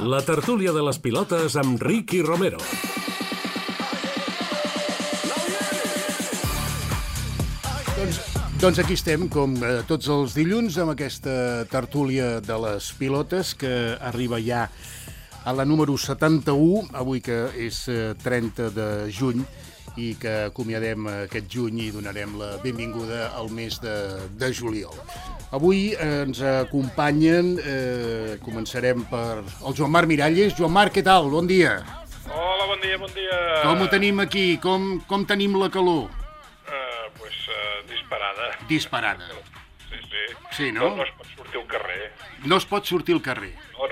La tertúlia de les pilotes amb Ricky Romero. Doncs aquí estem, com tots els dilluns, amb aquesta tertúlia de les pilotes que arriba ja a la número 71, avui que és 30 de juny, i que acomiadem aquest juny i donarem la benvinguda al mes de juliol. Avui ens acompanyen, començarem per el Joan Marc Miralles. Joan Marc, què tal? Bon dia. Hola, bon dia, bon dia. Com ho tenim aquí? Com tenim la calor? Disparada. Disparada. Sí. Sí, no? No es pot sortir al carrer. No es pot sortir al carrer. No.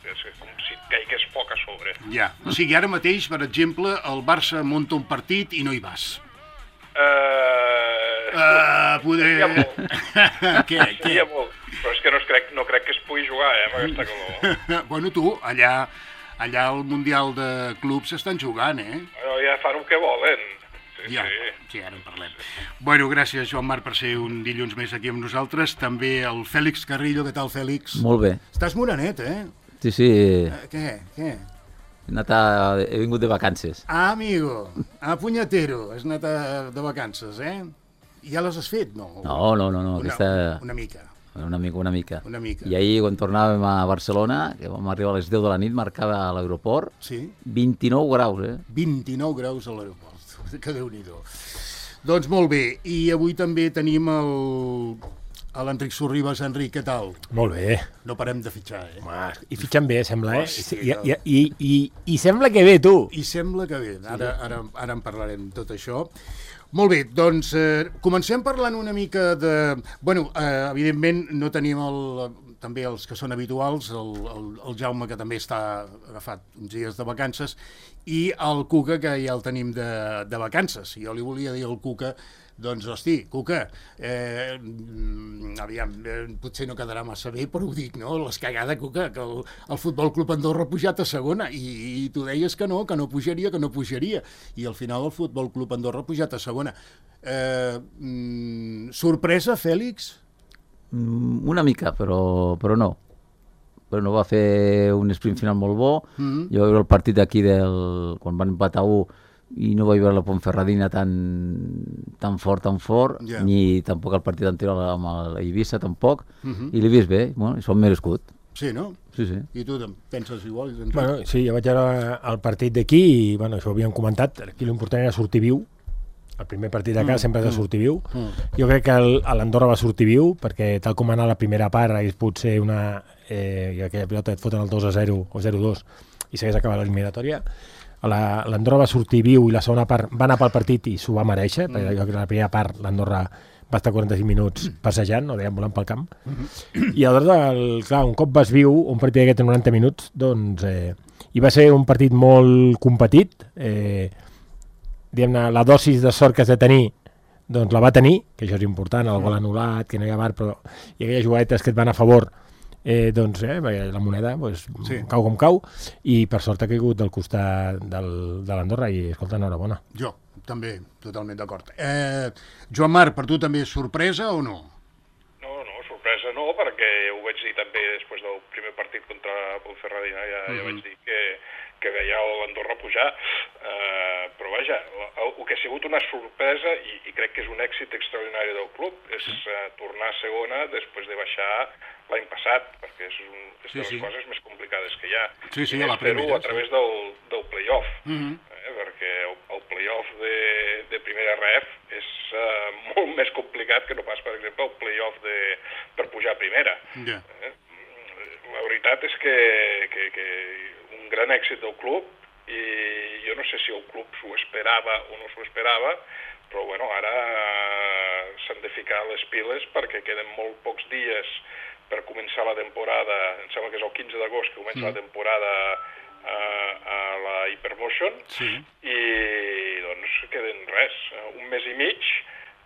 És com si et caigués poc a sobre. Ja. O sigui, ara mateix, per exemple, el Barça munta un partit i no hi vas. Seria molt. Què? Seria molt. Però és que no crec que es pugui jugar, amb aquesta calor. Bueno, tu, allà al Mundial de Clubs s'estan jugant, Bueno, ja fan el que volen. Sí, ara en parlem. Bueno, gràcies, Joan Marc, per ser un dilluns més aquí amb nosaltres. També el Fèlix Carrillo. Què tal, Fèlix? Molt bé. Estàs morenet, Sí. Què? He vingut de vacances. Ah, amigo. Ah, punyetero. Has anat de vacances, Ja les has fet, no? No. Una mica. Una mica. Una mica. I ahir, quan tornàvem a Barcelona, que vam arribar a les 10 de la nit, marcava a l'aeroport, Sí? 29 graus, 29 graus a l'aeroport. Que Déu-n'hi-do. Doncs molt bé. I avui també tenim l'Enric Sorribas. Enric, què tal? Molt bé. No parem de fitxar, Home, i fitxen bé, sembla, Hòstia. I sembla que bé, tu. I sembla que bé. Ara en parlarem tot això. Molt bé, doncs comencem parlant una mica de... Bueno, evidentment no tenim també els que són habituals, el Jaume, que també està agafat uns dies de vacances, i el Cuca, que ja el tenim de vacances. Jo li volia dir al Cuca, doncs, hosti, Cuca, aviam, potser no quedarà massa bé, però ho dic, no? L'escagada, Cuca, que el Futbol Club Andorra ha pujat a segona, i tu deies que no pujaria, i al final el Futbol Club Andorra ha pujat a segona. Sorpresa, Fèlix? Una mica, però no. Però no va fer un sprint final molt bo. Jo vaig veure el partit d'aquí quan van empatar 1 i no vaig veure la Ponferradina tan fort, Ja. ni tampoc el partit anterior amb l'Eivissa, tampoc, i l'he vist bé, bueno, s'ho han merescut. Sí, no? Sí. I tu penses igual? Bueno, sí, jo vaig veure el partit d'aquí i, bueno, això ho havíem comentat, aquí l'important era sortir viu. El primer partit de casa sempre has de sortir viu. Jo crec que l'Andorra va sortir viu, perquè tal com anar a la primera part hagués pogut ser i aquella pilota et foten el 2-0 o 0-2 i s'hagués acabat l'eliminatòria. L'Andorra va sortir viu i la segona part va anar pel partit i s'ho va mereixer, perquè jo crec que la primera part l'Andorra va estar 45 minuts passejant, o dèiem, volant pel camp. I aleshores, clar, un cop vas viu, un partit d'aquest en 90 minuts, doncs, i va ser un partit molt competit, diguem-ne, la dosis de sort que has de tenir, doncs la va tenir, que això és important, el gol anul·lat, que no hi ha VAR, però i aquelles jugadetes que et van a favor, doncs la moneda cau com cau, i per sort ha caigut del costat de l'Andorra, i escolta, enhorabona. Jo, també, totalment d'acord. Joan Marc, per tu també és sorpresa o no? No, sorpresa no, perquè ho vaig dir també després del primer partit contra Ponferradina, ja vaig dir que veia l'Andorra pujar, però vaja, el que ha sigut una sorpresa, i crec que és un èxit extraordinari del club, és tornar a segona després de baixar l'any passat, perquè és de les coses més complicades que hi ha. Sí, a la primera. A través del play-off, perquè el play-off de primera ref és molt més complicat que no pas, per exemple, el play-off per pujar a primera. La veritat és que un gran èxit del club, i jo no sé si el club s'ho esperava o no s'ho esperava, però bueno, ara s'han de ficar les piles perquè queden molt pocs dies per començar la temporada. Em sembla que és el 15 d'agost que comença la temporada a la Hypermotion, i doncs queden un mes i mig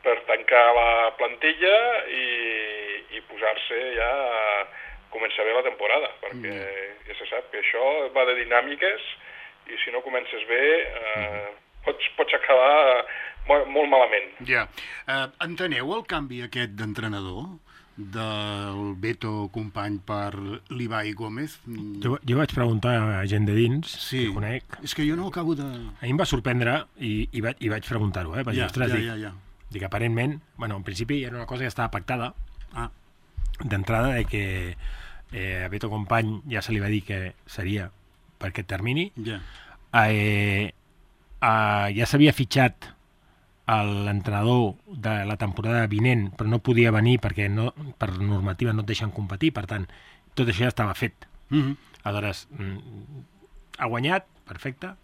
per tancar la plantilla i posar-se ja a començar bé la temporada, perquè ja se sap que això va de dinàmiques, i si no comences bé pots acabar molt malament. Ja. Enteneu el canvi aquest d'entrenador? del Beto company per l'Ibai Gómez. Jo vaig preguntar a gent de dins, que conec. És que jo no acabo de... A mi em va sorprendre i vaig preguntar-ho, Vaig dir, ostres, dic, aparentment, en principi era una cosa que estava pactada d'entrada, que a Beto Company ja se li va dir que seria per aquest termini. Ja s'havia fitxat l'entrenador de la temporada vinent, però no podia venir perquè per normativa no et deixen competir, per tant, tot això ja estava fet. Aleshores, ha guanyat, perfecte,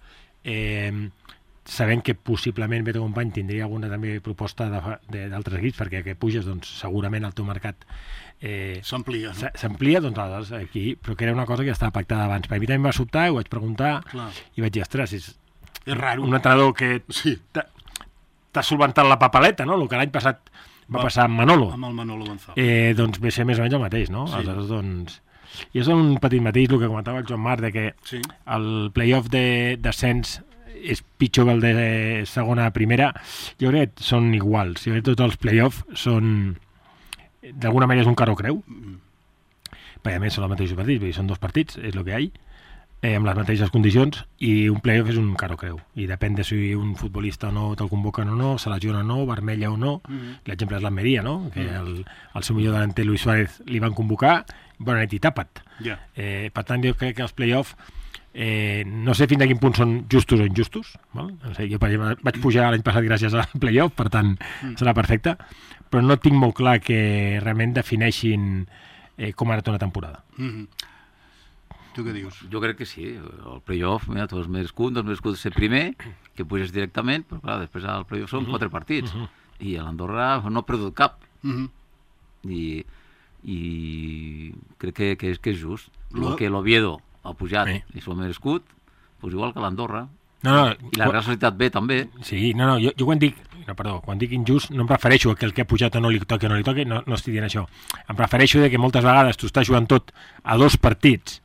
sabent que possiblement Beto Company tindria alguna també proposta d'altres equips, perquè que puges, doncs segurament el teu mercat s'amplia, no? S'amplia, doncs aleshores aquí, però que era una cosa que ja estava pactada abans. Per mi també em va sobtar, ho vaig preguntar, i vaig dir, ostres, és raro. Un entrenador que t'ha solventat la papeleta, no? El que l'any passat va passar amb Manolo. Amb el Manolo González. Doncs ve ser més o menys el mateix, no? Aleshores, doncs... I és un petit mateix, el que comentava el Joan Marc, de que el play-off de descens és pitjor que el de segona a primera. Jo crec que són iguals. Jo crec que tots els play-off són... D'alguna manera és un caro creu. Perquè a més són els mateixos partits, vull dir, són 2 partits, és el que hi ha. Amb les mateixes condicions, i un play-off és un caro creu, i depèn de si un futbolista o no te'l convoquen o no, se lesiona o no, vermella o no. L'exemple és l'Almeria, no? Que el seu millor delanter Luis Suárez li van convocar, bona nit i tapa't. Per tant, jo crec que els play-off no sé fins a quin punt són justos o injustos, val? No sé, jo per exemple vaig pujar l'any passat gràcies al play-off, per tant serà perfecte, però no tinc molt clar que realment defineixin com ha anat una temporada. Tu què dius? Jo crec que sí, el play-off, mira, tu has merescut ser primer, que puges directament, però clar, després al play-off són 4 partits, i a l'Andorra no ha perdut cap, i crec que és just. El que l'Oviedo ha pujat i s'ho ha merescut, doncs igual que l'Andorra. I la Real Societat B també. Sí, jo quan dic injust no em refereixo a que el que ha pujat o no li toqui o no li toqui, no estic dient això. Em refereixo a que moltes vegades tu estàs jugant tot a 2 partits,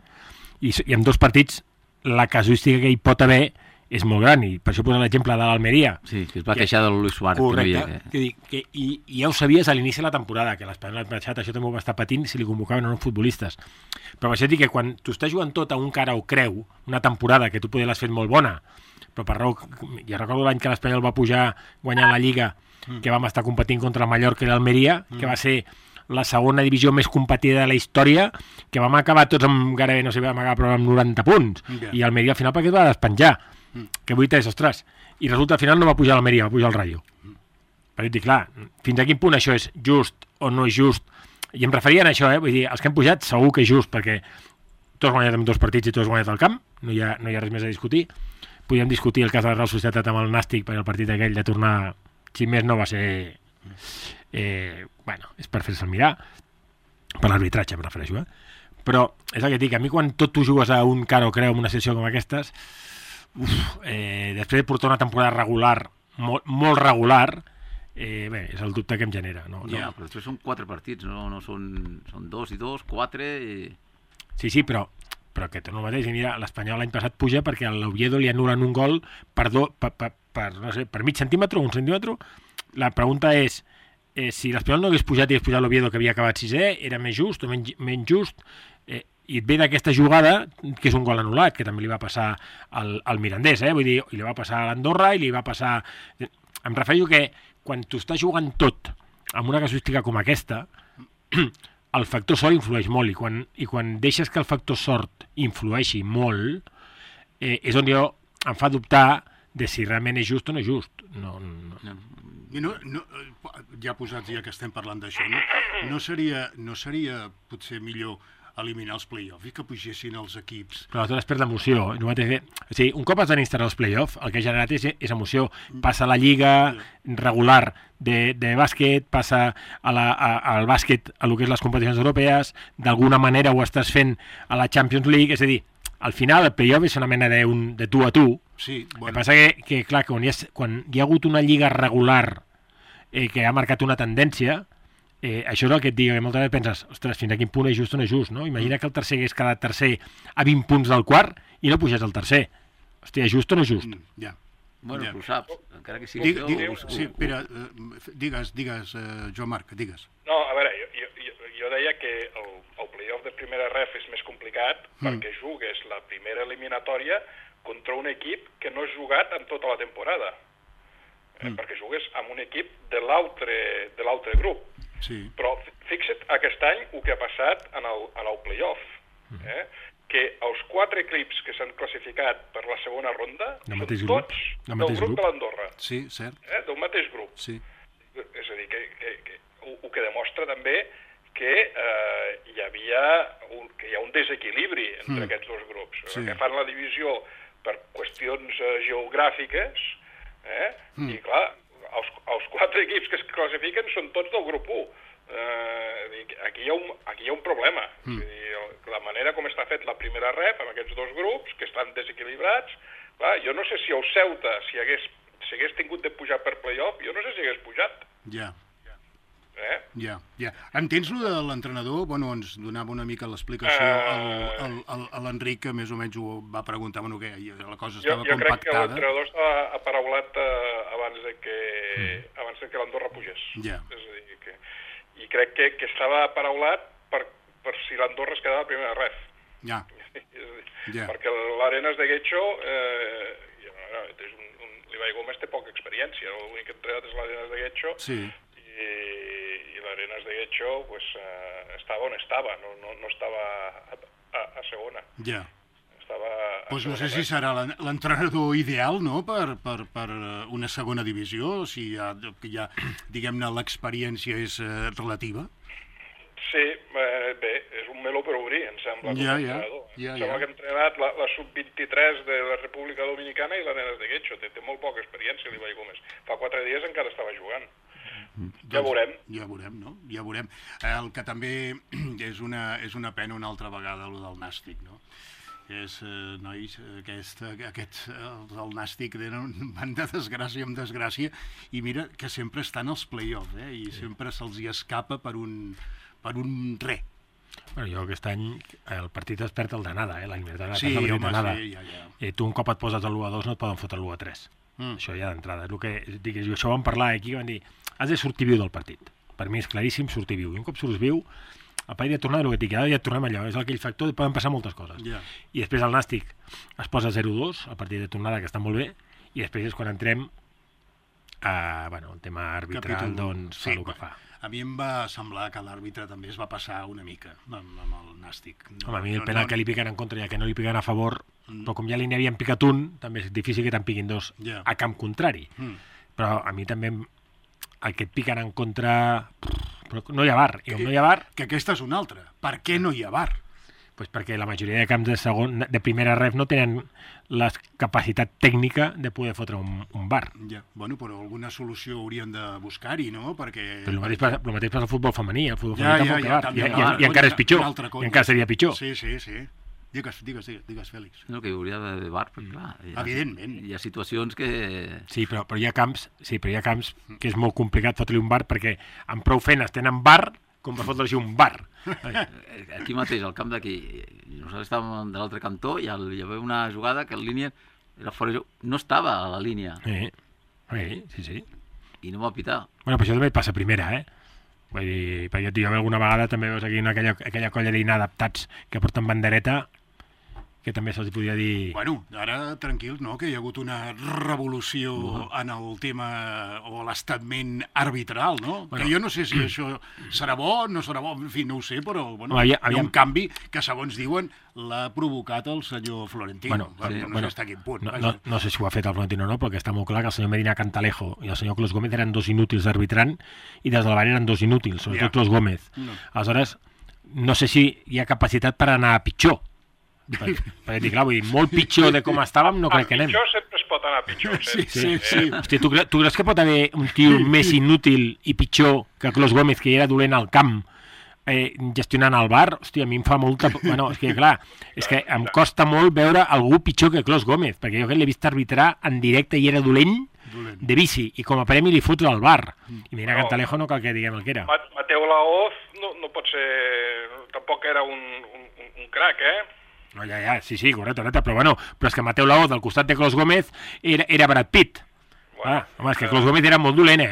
i en 2 partits la casuística que hi pot haver és molt gran, i per això posa l'exemple de l'Almeria. Sí, que es va queixar del Luis Suárez. Correcte, i ja ho sabies a l'inici de la temporada, que l'Espanyol l'any passat això també ho va estar patint si li convocaven o no futbolistes. Però això dic que quan tu estàs jugant tot a un cara o creu, una temporada que tu poder l'has fet molt bona, però per raó, ja recordo l'any que l'Espanyol va pujar guanyant la Lliga, que vam estar competint contra el Mallorca i l'Almeria, que va ser la segona divisió més competida de la història, que vam acabar tots amb gairebé, no sé, vam acabar però amb 90 punts, i Almeria al final perquè es va despenjar, que vull dir, ostres, i resulta al final no va pujar l'Almeria, va pujar el Rayo. Perquè dic, clar, fins a quin punt això és just o no és just, i em referia a això, vull dir, els que han pujat segur que és just, perquè tots guanyat amb 2 partits i tots guanyat al camp, no hi ha res més a discutir. Podríem discutir el cas de la Real Societat amb el Nàstic, perquè el partit aquell de tornar, si més no va ser... és per fer-se'l mirar, per l'arbitratge em refereixo, però és el que dic, a mi quan tot tu jugues a un cara o creu en una sessió com aquestes, després de portar una temporada regular, molt regular, és el dubte que em genera. Però després són 4 partits, no són 2 i 2, 4... Sí, però que torno al mateix, i mira, l'Espanyol l'any passat puja perquè a l'Oviedo li anulen un gol per mig centímetre o 1 centímetre. La pregunta és, si l'Espanyol no hagués pujat i hagués pujat l'Oviedo que havia acabat 6è, era més just o menys just, i et ve d'aquesta jugada que és un gol anul·lat, que també li va passar al Mirandés, vull dir, i li va passar a l'Andorra i li va passar... Em refereixo que quan tu estàs jugant tot amb una casuística com aquesta, el factor sort influeix molt, i quan deixes que el factor sort influeixi molt, és on jo em fa dubtar de si realment és just o no és just. Ja posats, ja que estem parlant d'això, no seria potser millor eliminar els play-offs i que pugessin els equips? Però aleshores perd l'emoció. O sigui, un cop es van instal·lar els play-offs, el que ha generat és emoció. Passa a la lliga regular de bàsquet, passa al bàsquet a lo que és les competicions europees, d'alguna manera ho estàs fent a la Champions League, és a dir, al final el play-off és una mena de tu a tu. Sí, bueno. El que passa que clar, quan hi ha hagut una lliga regular que ha marcat una tendència, això és el que et dic, que moltes vegades penses, ostres, fins a quin punt és just o no és just, no? Imagina que el tercer hagués quedat tercer a 20 punts del quart i no pugés al tercer. Hòstia, és just o no és just? Ja. Bueno, tu saps, encara que sigui... Sí, Pere, digues, Joan Marc, digues. No, a veure, deia que el playoff de primera ref és més complicat perquè jugues la primera eliminatòria contra un equip que no has jugat en tota la temporada. Perquè jugues amb un equip de l'altre grup. Sí. Però fixa't aquest any el que ha passat en el playoff. Que els 4 equips que s'han classificat per la segona ronda són tots del grup de l'Andorra. Sí, cert. Del mateix grup. Sí. És a dir, el que demostra també que hi ha un desequilibri entre aquests dos grups. Sí. Que fan la divisió per qüestions geogràfiques, i clar, els 4 equips que es classifiquen són tots del grup 1. Aquí hi ha un problema. És a dir, la manera com està fet la primera ref amb aquests dos grups, que estan desequilibrats, clar, jo no sé si el Ceuta, si hagués tingut de pujar per playoff, jo no sé si hagués pujat. Ja. Entens lo de l'entrenador? Bueno, ens donava una mica l'explicació a l'Enric, que més o menys ho va preguntar, bueno, que la cosa estava compactada. Jo crec que l'entrenador estava aparaulat abans de que l'Andorra pugés. Ja. És a dir, i crec que estava aparaulat per si l'Andorra es quedava a primera ref. Ja. Perquè l'Arenas de Guecho, l'Ibai Gómez té poca experiència, l'únic entrenat és l'Arenas de Guecho, sí. I l'Arenas de Guecho pues, estava on estava, no estava a segona. Ja. Pues no sé si serà l'entrenador ideal, no?, per una segona divisió, si ja diguem-ne, l'experiència és relativa. Sí, bé, és un meló per obrir, em sembla, com a entrenador. Em sembla que ha entrenat la sub-23 de la República Dominicana i l'Arenas de Guecho. Té molt poca experiència, l'Ibai Gómez. Fa 4 dies encara estava jugant. Ja veurem. Ja veurem, no? Ja veurem. El que també és una pena una altra vegada, el del Nàstic, no? Nois, el Nàstic van de desgràcia en desgràcia, i mira que sempre estan als play-offs, i sempre se'ls hi escapa per un res. Bueno, jo aquest any el partit es perd el d'anada, la Libertad de la Casa d'anada. I tu un cop et poses l'1-2 no et poden fotre l'1-3. Això ja d'entrada. És el que dic, això vam parlar aquí, van dir, has de sortir viu del partit. Per mi és claríssim sortir viu. I un cop surts viu, el partit de tornada, el que dic, ja tornem allò, és aquell factor, poden passar moltes coses. I després el Nàstic es posa 0-2, el partit de tornada, que està molt bé, i després és quan entrem el tema arbitral, doncs fa el que fa. A mi em va semblar que l'àrbitre també es va passar una mica amb el Nàstic. A mi el penal que li piquen en contra, ja que no li piquen a favor, però com ja li n'havien picat un, també és difícil que te'n piquin dos a camp contrari. Però a mi també el que et piquen en contra... Però no hi ha VAR. I com no hi ha VAR... Que aquesta és una altra. Per què no hi ha VAR? Pues perquè la majoria de camps de primera ref no tenen la capacitat tècnica de poder fotre un VAR. Bueno, però alguna solució haurien de buscar-hi, no? Perquè... Però el mateix passa al futbol femení. El futbol femení tampoc VAR. I encara és pitjor. I encara seria pitjor. Sí. Digues, Fèlix. No, que hi hauria de VAR, perquè clar... Evidentment. Hi ha situacions que... Sí, però hi ha camps que és molt complicat fotre-li un VAR, perquè amb prou feines tenen VAR com per fotre-li un VAR. Aquí mateix, al camp d'aquí, nosaltres estàvem de l'altre cantó i hi havia una jugada que en línia era fora de joc, no estava a la línia. Sí. I no va pitar. Bueno, però això també passa a primera, Vull dir, perquè jo alguna vegada també veus aquí aquella colla d'inadaptats que porten bandereta, que també se'ls podria dir... Bueno, ara tranquils, no?, que hi ha hagut una revolució en el tema o l'estament arbitral, no? Bueno, que jo no sé si això serà bo, no serà bo, en fi, no ho sé, però bueno, hi ha un canvi que, segons diuen, l'ha provocat el senyor Florentino. No sé a quin punt. No sé si ho ha fet el Florentino o no, però que està molt clar que el senyor Medina Cantalejo i el senyor Clos Gómez eren dos inútils d'arbitrant i des de la VAR eren dos inútils, sobretot Clos Gómez. Aleshores, no sé si hi ha capacitat per anar a pitjor. Perquè dic, clar, vull dir, molt pitjor de com estàvem no crec que anem. Pitjor sempre es pot anar pitjor. Sí. Hòstia, tu creus que pot haver un tio més inútil i pitjor que Clos Gómez, que ja era dolent al camp, gestionant el VAR? Hòstia, a mi em fa molta... Bueno, és que clar, és que em costa molt veure algú pitjor que Clos Gómez, perquè jo que l'he vist arbitrar en directe i era dolent de bici, i com a premi li foto al VAR. I mira, Cantalejo no cal que diguem el que era. Mateu Laoz no pot ser... Tampoc era un crac, No, sí, correcte, però és que Mateu Laoz al costat de Clos Gómez era Brad Pitt. Home, és que Clos Gómez era molt dolent,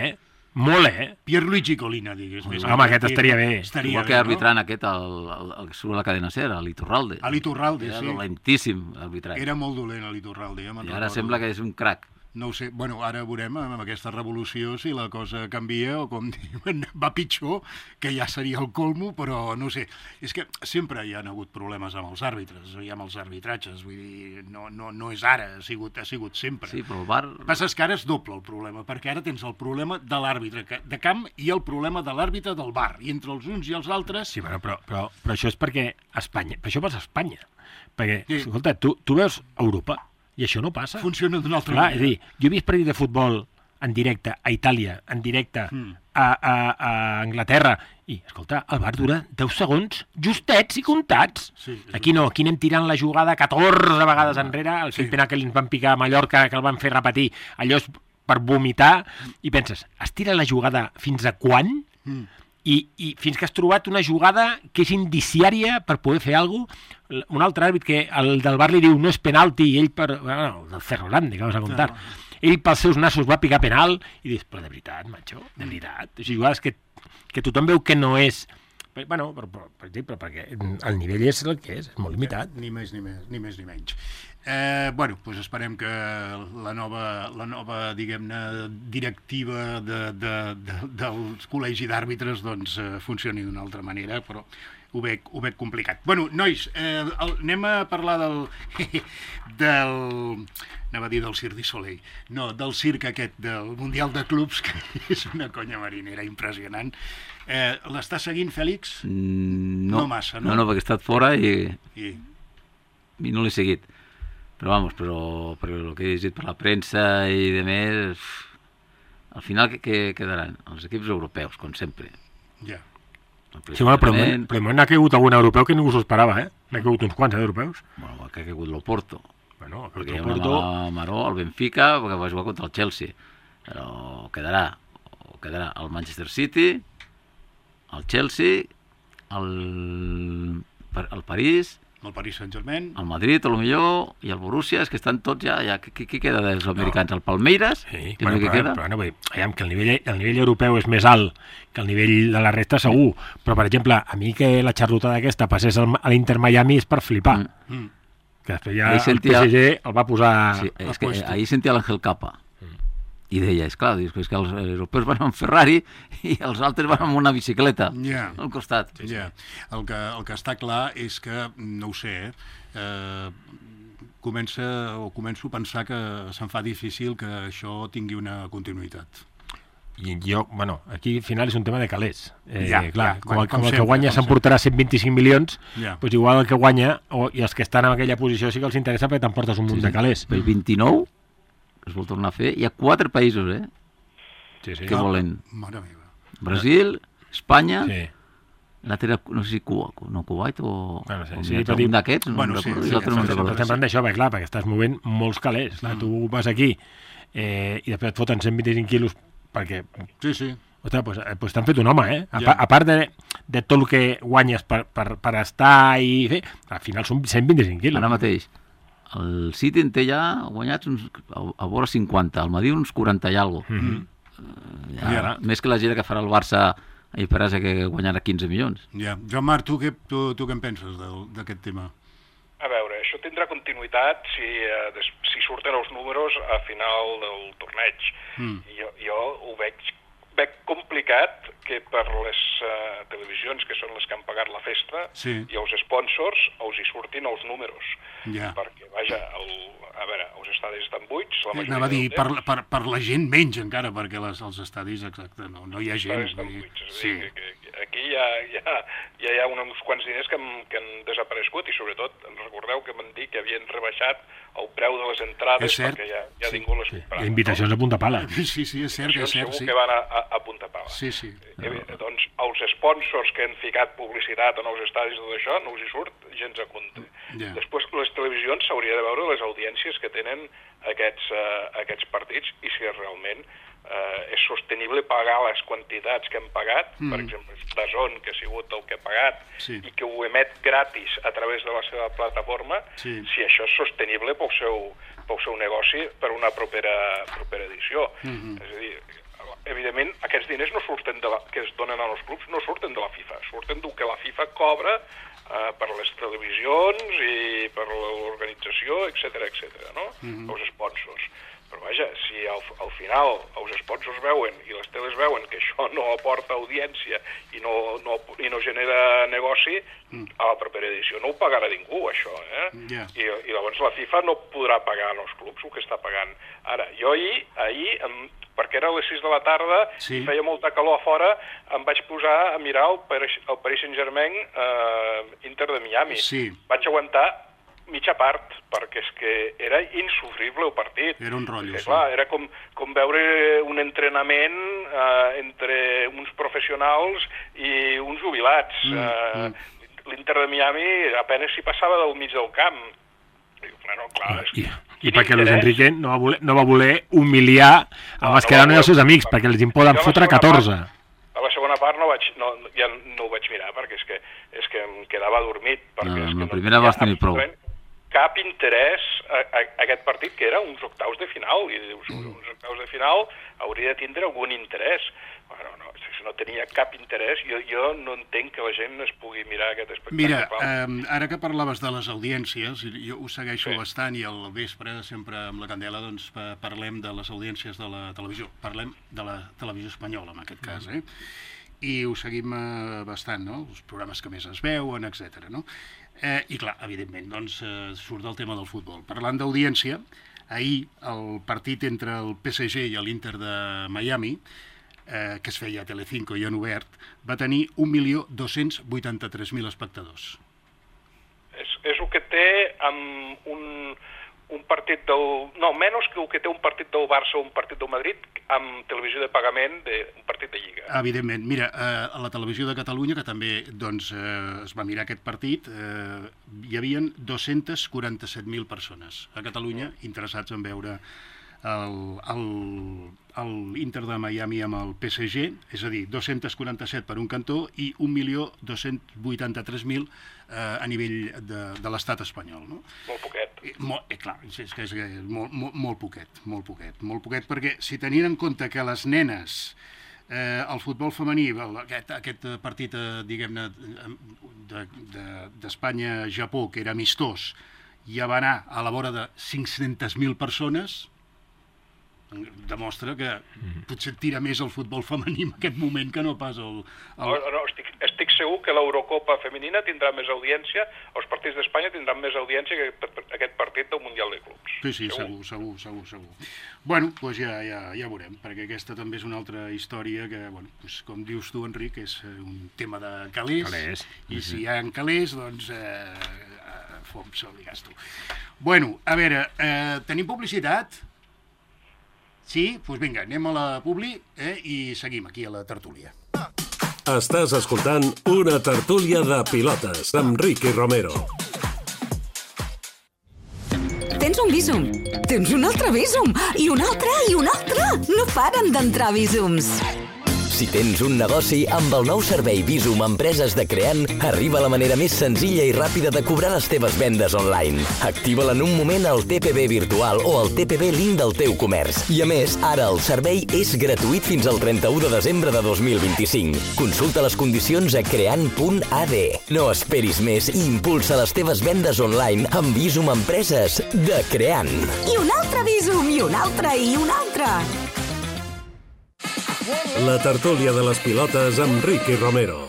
Molt, Pierluigi Collina, digues. Home, aquest estaria bé. Igual que arbitrant aquest, el que surt a la cadena SER, l'Iturralde. L'Iturralde, sí. Era dolentíssim, arbitrat. Era molt dolent, l'Iturralde. I ara sembla que és un crac. No ho sé, bueno, ara veurem amb aquesta revolució si la cosa canvia o, com diuen, va pitjor, que ja seria el colmo, però no ho sé. És que sempre hi ha hagut problemes amb els àrbitres, i amb els arbitratges, vull dir, no és ara, ha sigut sempre. Sí, però el VAR... El que passa és que ara és doble el problema, perquè ara tens el problema de l'àrbitre de camp i el problema de l'àrbitre del VAR, i entre els uns i els altres... Sí, bueno, però això és perquè Espanya, per això passa a Espanya, perquè, escolta, tu veus Europa, i això no passa. Funciona d'una altra manera. És a dir, jo he vist partit de futbol en directe a Itàlia, en directe a Anglaterra, i, escolta, el VAR dura 10 segons justets i comptats. Sí, aquí no, aquí anem tirant la jugada 14 vegades enrere, el penal que ens van picar a Mallorca, que el van fer repetir, allò és per vomitar, i penses, es tira la jugada fins a quan? I fins que has trobat una jugada que és indiciària per poder fer alguna cosa. Un altre àrbit que el del VAR li diu no és penalti, i ell el del Ferrolandi, que vas a contar, ell pels seus nassos va picar penal, i dius, però de veritat, macho, de veritat. O sigui, jugades que tothom veu que no és... Bueno, per exemple, perquè el nivell és el que és molt limitat. Ni més ni menys. Bueno, doncs esperem que la nova diguem-ne, directiva del col·legi d'àrbitres doncs funcioni d'una altra manera, però ho veig complicat. Bueno, nois, anem a parlar anava a dir del Cirque du Soleil. No, del circ aquest, del Mundial de Clubs, que és una conya marinera impressionant. L'està seguint, Fèlix? No massa, no? No, perquè he estat fora i no l'he seguit. Però perquè el que he llegit per la premsa i de més, al final què quedaran? Els equips europeus, com sempre. Ja. Sí, bueno, però n'ha caigut algun europeu que ningú s'ho esperava, N'ha caigut uns quants, d'europeus. Bueno, que ha caigut l'Oporto. Bueno, perquè hi ha una mala maró, el Benfica, perquè va jugar contra el Chelsea. Però quedarà el Manchester City, el Chelsea, el París, el Paris Saint-Germain, el Madrid, potser, i el Borussia, és que estan tots ja qui queda dels americans? El Palmeiras? Sí, però no vull dir, que el nivell europeu és més alt que el nivell de la resta, segur, però, per exemple, a mi que la xarlotada aquesta passés a l'Inter Miami és per flipar, que després ja el PSG el va posar... Sí, és que ahir sentia l'Àngel Capa, i deia, esclar, és que els europeus van amb Ferrari i els altres van amb una bicicleta al costat. El que està clar és que, no ho sé, començo a pensar que se'm fa difícil que això tingui una continuïtat. I aquí al final és un tema de calés. Com el que guanya s'emportarà 125 milions, doncs igual el que guanya, i els que estan en aquella posició sí que els interessa perquè t'emportes un munt de calés. El 29 es vol tornar a fer. Hi ha 4 països, que volen. Mare meva. Brasil, Espanya, l'altre, no sé si Kuwait o un d'aquests, no recordo. Estem d'això, perquè estàs movent molts calés. Tu vas aquí i després et foten 125 quilos perquè... Sí. Ostres, doncs t'han fet un home, A part de tot el que guanyes per estar i fer, al final són 125 quilos. Ara mateix, el City en té ja guanyats a vora 50, el Madrid uns 40 i alguna. Més que la gira que farà el Barça a Iperasa, que guanyarà 15 milions. Joan Marc, tu què en penses d'aquest tema? A veure, això tindrà continuïtat si surten els números a final del torneig. Jo ho veig complicat que per les televisions, que són les que han pagat la festa, i els sponsors els hi surtin els números. Perquè, vaja, els estadis estan buits. Anava a dir, per la gent menys encara, perquè els estadis, exacte, no hi ha gent. Estan buits. Aquí ja hi ha uns quants diners que han desaparegut, i sobretot, recordeu que m'han dit que havien rebaixat el preu de les entrades perquè ja ningú les comprava. Invitacions a punta pala. Sí, és cert. Segur que van a punta pala. Sí. Doncs els sponsors que han ficat publicitat en els estadis i tot això, no us hi surt gens a compte. Després, les televisions s'hauria de veure les audiències que tenen aquests partits i si realment és sostenible pagar les quantitats que hem pagat, per exemple, DAZN, que ha sigut el que ha pagat, i que ho emet gratis a través de la seva plataforma, si això és sostenible pel seu negoci per una propera edició. És a dir, evidentment, aquests diners no surten que es donen als clubs no surten de la FIFA, surten del que la FIFA cobra per les televisions i per l'organització, etc., no? Els sponsors. Però vaja, si al final els sponsors veuen i les teles veuen que això no aporta audiència i no genera negoci, a la propera edició no ho pagarà ningú, això, I llavors la FIFA no podrà pagar als clubs el que està pagant. Ara, jo ahir perquè era a les 6 de la tarda i feia molta calor a fora, em vaig posar a mirar el Paris Saint-Germain Inter de Miami. Vaig aguantar mitja part, perquè és que era insufrible el partit. Era un rotllo, clar, era com veure un entrenament entre uns professionals i uns jubilats. L'Inter de Miami apenas s'hi passava del mig del camp. Bueno, clar, I perquè Luis Enrique no va voler humiliar a Mascherano i els seus amics, perquè els en poden fotre 14. A la segona part ja no ho vaig mirar, perquè és que em quedava adormit. En la primera vas tenir prou. Cap interès a aquest partit, que era uns octaus de final, i dius, uns octaus de final hauria de tindre algun interès. Bueno, no tenia cap interès. Jo no entenc que la gent es pugui mirar aquest espectacle. Mira, ara que parlaves de les audiències, jo ho segueixo bastant, i al vespre, sempre amb la Candela, doncs parlem de les audiències de la televisió. Parlem de la televisió espanyola, en aquest cas, i ho seguim bastant, no? Els programes que més es veuen, etc. no? I clar, evidentment, doncs surt el tema del futbol. Parlant d'audiència, ahir el partit entre el PSG i l'Inter de Miami, que es feia a Telecinco i en obert, va tenir 1.283.000 espectadors. És el que té amb un partit del... No, menys que el que té un partit del Barça o un partit del Madrid amb televisió de pagament d'un partit de Lliga. Evidentment. Mira, a la televisió de Catalunya, que també doncs, es va mirar aquest partit, hi havien 247.000 persones a Catalunya interessats en veure l'Inter de Miami amb el PSG, és a dir, 247 per un cantó i 1.283.000 a nivell de l'estat espanyol. No? Molt poquet. Clar, és que és molt poquet, perquè si tenint en compte que les nenes, el futbol femení, aquest partit, diguem-ne, d'Espanya-Japó, que era amistós, ja va anar a la vora de 500.000 persones, demostra que potser tira més el futbol femení en aquest moment que no pas el... No, estic segur que l'Eurocopa femenina tindrà més audiència, els partits d'Espanya tindran més audiència que aquest partit del Mundial de Clubs. Sí, segur. Bueno, doncs ja veurem, perquè aquesta també és una altra història que, bueno, com dius tu, Enric, és un tema de calés. I si hi ha calés, doncs fom, se li gasto. Bueno, a veure, tenim publicitat? Sí? Doncs vinga, anem a la publi i seguim aquí a la tertúlia. Estàs escoltant una tertúlia de pilotes amb Ricky Romero. Tens un Bizum, tens un altre Bizum, i un altre, i un altre. No paren d'entrar Bizums. Si tens un negoci, amb el nou servei Bizum Empreses de Creant arriba la manera més senzilla i ràpida de cobrar les teves vendes online. Activa-la en un moment al TPB virtual o al TPB link del teu comerç. I a més, ara el servei és gratuït fins al 31 de desembre de 2025. Consulta les condicions a creant.ad. No esperis més i impulsa les teves vendes online amb Bizum Empreses de Creant. I un altre Bizum, i un altre, i un altre. La tertúlia de les pilotes amb Ricky Romero.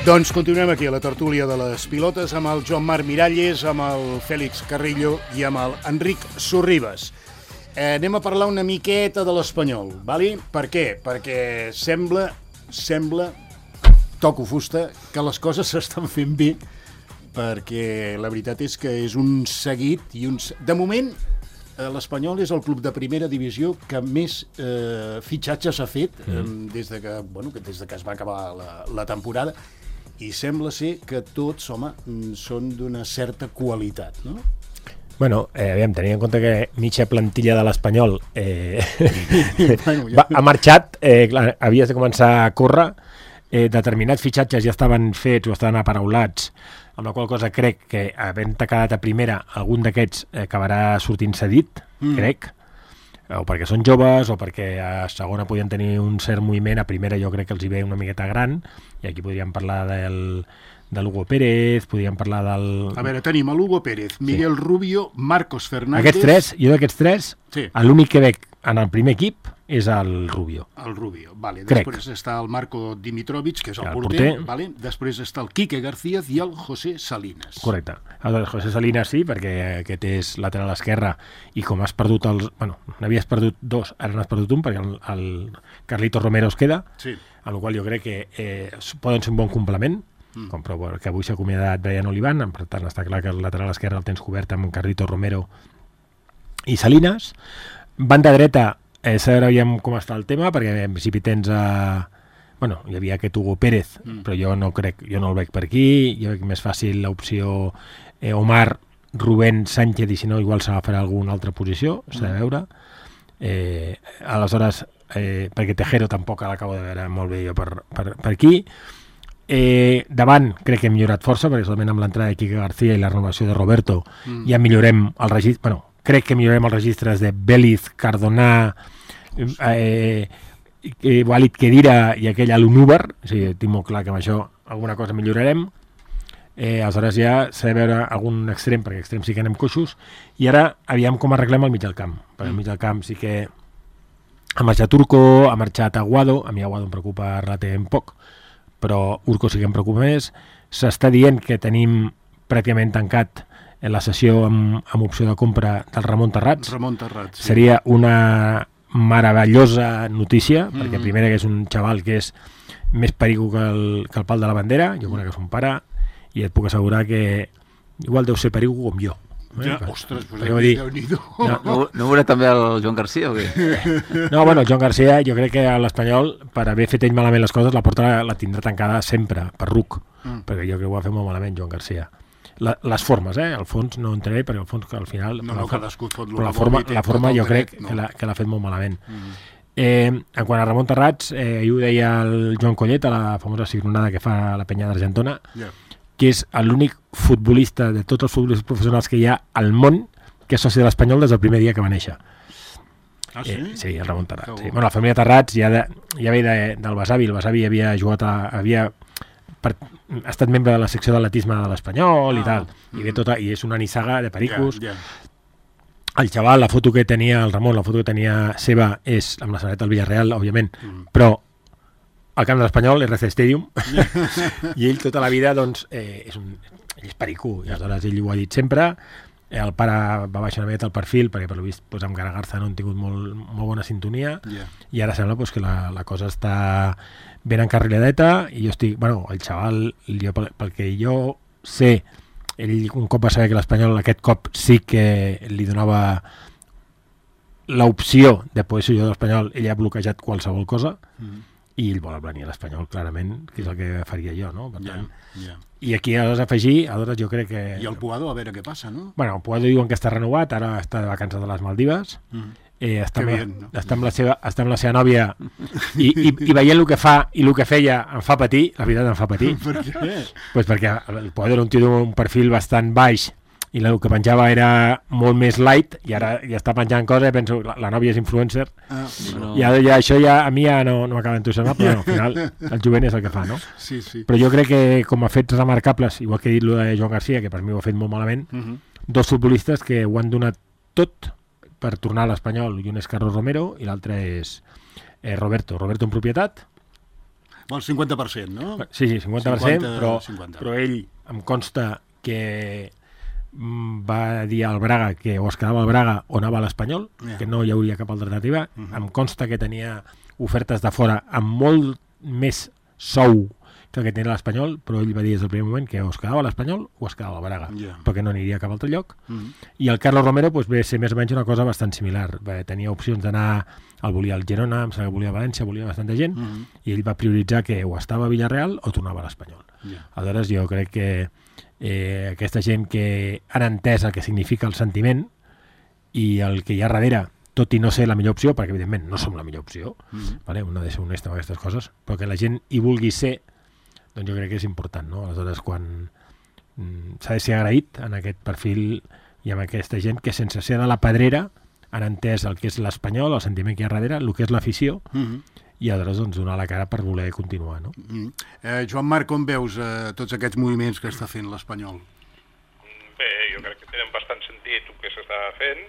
Doncs continuem aquí a la tertúlia de les pilotes amb el Joan Marc Miralles, amb el Fèlix Carrillo i amb el Enric Sorribes. Anem a parlar una miqueta de l'Espanyol, ¿vale? Per què? Perquè sembla, toco fusta, que les coses s'estan fent bé, perquè la veritat és que és un seguit i de moment l'Espanyol és el club de primera divisió que més fitxatges ha fet des de que es va acabar la temporada, i sembla ser que tots, home, són d'una certa qualitat, no? Bueno, aviam, tenint en compte que mitja plantilla de l'Espanyol ha marxat, clar, havies de començar a córrer, determinats fitxatges ja estaven fets o estaven aparaulats, amb la qual cosa crec que havent quedat a primera algun d'aquests acabarà sortint cedit, crec, o perquè són joves o perquè a segona podien tenir un cert moviment, a primera jo crec que els hi ve una miqueta gran, i aquí podríem parlar de l'Hugo Pérez, podríem parlar del... A veure, tenim l'Hugo Pérez, Miguel Rubio, Marcos Fernández... Aquests tres, jo d'aquests tres, l'únic que veig en el primer equip és el Rubio. El Rubio, vale. Després està el Marco Dimitrovic, que és el porter. Vale. Després està el Quique García i el José Salinas. Correcte. El José Salinas sí, perquè aquest és lateral esquerre i com has perdut els... Bueno, n'havies perdut dos, ara n'has perdut un, perquè el Carlito Romero es queda, amb la qual jo crec que poden ser un bon complement, però que avui s'ha acomiadat Brian Olivan, per tant està clar que el lateral esquerre el tens cobert amb Carlito Romero i Salinas. Banda dreta, sabem com està el tema, perquè en principi tens bueno, hi havia aquest Hugo Pérez, però jo no el veig per aquí, jo veig més fàcil l'opció Omar, Rubén, Sánchez, i si no igual s'agafarà alguna altra posició, s'ha de veure. Aleshores, perquè Tejero tampoc l'acabo de veure molt bé jo per aquí. Davant crec que hem millorat força, perquè solament amb l'entrada de Quique García i la renovació de Roberto ja millorem el registre, bueno, crec que millorem els registres de Béliz, Cardona, Walid Kedira i aquell Alunúbar, o sigui, tinc molt clar que amb això alguna cosa millorarem. Aleshores ja s'ha de veure algun extrem, perquè extrem sí que anem coixos, i ara aviam com arreglem el mig del camp, perquè el mig del camp sí que ha marxat Urco, ha marxat Aguado, a mi Aguado em preocupa relativament poc, però Urco sí que em preocupa més. S'està dient que tenim pràcticament tancat en la sessió amb opció de compra del Ramon Terrats. Ramon Terrats, sí. Seria una meravellosa notícia, perquè primera que és un xaval que és més perico que el pal de la bandera, jo conec que és un pare, i et puc assegurar que igual deu ser perico com jo. Ja, ostres, pues Déu-n'hi-do. No veuré també el Joan García o què? No, bueno, el Joan García jo crec que l'Espanyol, per haver fet ell malament les coses, la porta la tindrà tancada sempre, per ruc, perquè jo crec que ho va fer molt malament Joan García. Les formes, el fons no entraré, perquè el fons al final... Però la forma jo crec que l'ha fet molt malament. En quant a Ramon Terrats, ho deia el Joan Collet a la famosa signonada que fa la penya d'Argentona, que és l'únic futbolista de tots els futbolistes professionals que hi ha al món que és soci de l'Espanyol des del primer dia que va néixer. Ah, sí? Sí, el Ramon Terrats. Sí. Bueno, la família Terrats ja ve del Besavi. El Besavi havia jugat ha estat membre de la secció d'atletisme de l'Espanyol i tal, i és una nissaga de pericos. El xaval, la foto que tenia el Ramon, la foto que tenia seva és amb la samarreta del Villarreal, òbviament, però al camp de l'Espanyol, RC Stadium, i ell tota la vida doncs, ell és pericú, i aleshores ell ho ha dit sempre. El pare va baixar una miqueta el perfil perquè per lo vist amb Garagarza no han tingut molt bona sintonia, i ara sembla que la cosa està ben encarriladeta, i jo estic, el xaval, pel que jo sé, ell un cop va saber que l'Espanyol aquest cop sí que li donava l'opció de poder ser jugador de l'Espanyol, ell ha bloquejat qualsevol cosa, i ell vol venir a l'Espanyol, clarament, que és el que faria jo, no? Per tant, i aquí aleshores jo crec que... I el Puado, a veure què passa, no? Bueno, el Puado diuen que està renovat, ara està de vacances de les Maldives, està amb la seva nòvia i veient el que fa i el que feia em fa patir, la veritat em fa patir. Per què? Pues perquè el Puado era un tio d'un perfil bastant baix i el que penjava era molt més light, i ara ja està penjant coses i penso, la nòvia és influencer, i això ja a mi ja no m'acaba d'entusiasmar, però al final el jovent és el que fa, no? Sí, sí. Però jo crec que com a fets remarcables, igual que he dit el de Joan García, que per mi ho ha fet molt malament, dos futbolistes que ho han donat tot per tornar a l'Espanyol, i un és Carlos Romero i l'altre és Roberto en propietat. El 50%, no? Sí, 50%, però ell em consta que va dir al Braga que o es quedava al Braga o anava a l'Espanyol, que no hi hauria cap alternativa. Em consta que tenia ofertes de fora amb molt més sou que el que tenia l'Espanyol, però ell va dir des del primer moment que o es quedava a l'Espanyol o es quedava al Braga, perquè no aniria a cap altre lloc. I el Carlos Romero ve ser més o menys una cosa bastant similar. Tenia opcions d'anar, el volia al Girona, em sembla que volia a València, volia bastanta gent, i ell va prioritzar que o estava a Villarreal o tornava a l'Espanyol. Aleshores jo crec que aquesta gent que han entès el que significa el sentiment i el que hi ha darrere, tot i no ser la millor opció, perquè evidentment no som la millor opció, vale? Un ha de ser honest amb aquestes coses, però que la gent hi vulgui ser, doncs jo crec que és important, no? Aleshores, quan s'ha de ser agraït en aquest perfil i amb aquesta gent que sense ser de la pedrera han entès el que és l'Espanyol, el sentiment que hi ha darrere, el que és l'afició, i aleshores doncs, donar la cara per voler continuar, no? Joan Marc, com veus tots aquests moviments que està fent l'Espanyol? Bé, jo crec que tenen bastant sentit el que s'està fent.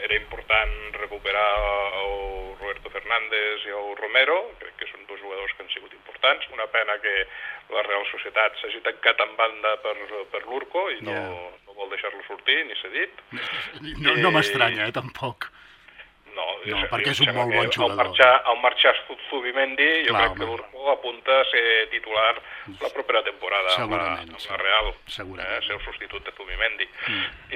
Era important recuperar el Roberto Fernández i el Romero, crec que són dos jugadors que han sigut importants. Una pena que la Real Societat s'hagi tancat en banda per l'Urco i no vol deixar-lo sortir, ni s'ha dit. No m'estranya, tampoc. No, perquè és un molt bon jugador. Al marxar Zubimendi, jo crec que l'Urco apunta a ser titular la propera temporada amb la Real, ser el substitut de Zubimendi.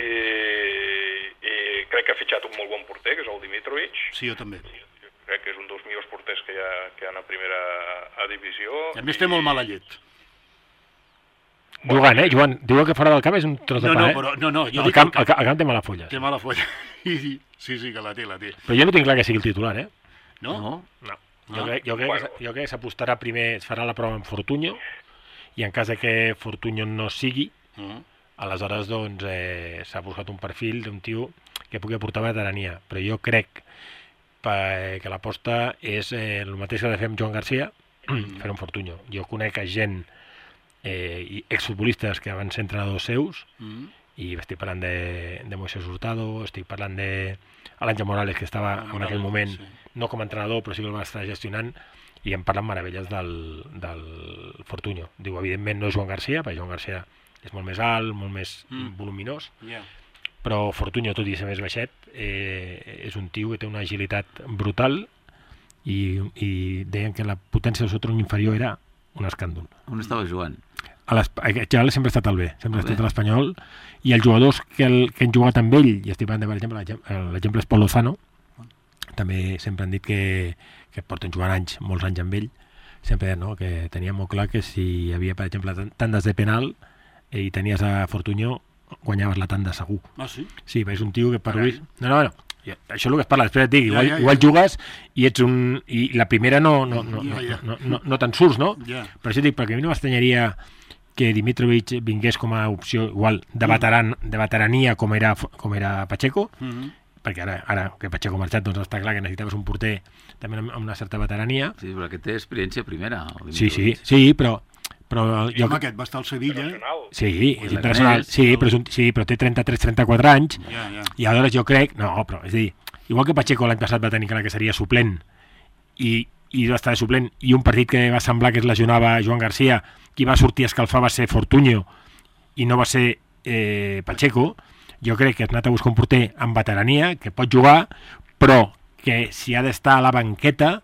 I crec que ha fitxat un molt bon porter, que és el Dimitrovic. Sí, jo també. Crec que és un dels millors porters que hi ha a primera divisió. A més té molt mala llet. Jugant, Joan? Diu que fora del camp és un tros de pa, No, el camp té mala folla. Té mala folla. Sí, que la té. Però jo no tinc clar que sigui el titular, No? Jo crec que s'apostarà primer, es farà la prova amb Fortunyo, i en cas de que Fortunyo no sigui, aleshores doncs s'ha buscat un perfil d'un tio que pugui aportar veterania. Però jo crec que l'aposta és el mateix que ha de fer amb Joan Garcia, fer un Fortunyo. Jo conec gent i exfutbolistes que van ser entrenadors seus, i estic parlant de Moisés Hurtado, estic parlant de l'Àngel Morales, que estava en aquell moment no com a entrenador, però sí que el va estar gestionant, i em parlen meravelles del Fortunyo. Diu, evidentment no és Joan Garcia, perquè Joan Garcia és molt més alt, molt més voluminós, però Fortunyo, tot i ser més baixet, és un tio que té una agilitat brutal, i deien que la potència del seu tronc inferior era un escàndol. On estava jugant? Aquest xaval sempre ha estat al B, sempre ha estat a l'Espanyol, i els jugadors que han jugat amb ell, i estic parlant, per exemple, l'exemple és Pol Lozano, també sempre han dit que porten jugant molts anys amb ell, sempre que tenia molt clar que si hi havia, per exemple, tandes de penal i tenies a Fortunyo, guanyaves la tanda segur. Ah, sí? Sí, és un tio que per avui... No. Això és el que es parla, després et dic, igual jugues i ets i la primera no te'n surts, no? Per això dic, perquè a mi no m'estranyaria que Dimitrovic vingués com a opció igual de veterania com era Pacheco, perquè ara que Pacheco ha marxat, doncs està clar que necessitaves un porter també amb una certa veterania. Sí, però aquest té experiència primera. Sí, però aquest va estar al Sevilla. Sí, és internacional. Sí, però té 33-34 anys. I aleshores jo crec... No, però és a dir, igual que Pacheco l'any passat va tenir clar que seria suplent i va estar de suplent, i un partit que va semblar que es lesionava Joan Garcia, qui va sortir a escalfar va ser Fortunyo i no va ser Pacheco, jo crec que has anat a buscar un porter amb veterania, que pot jugar, però que si ha d'estar a la banqueta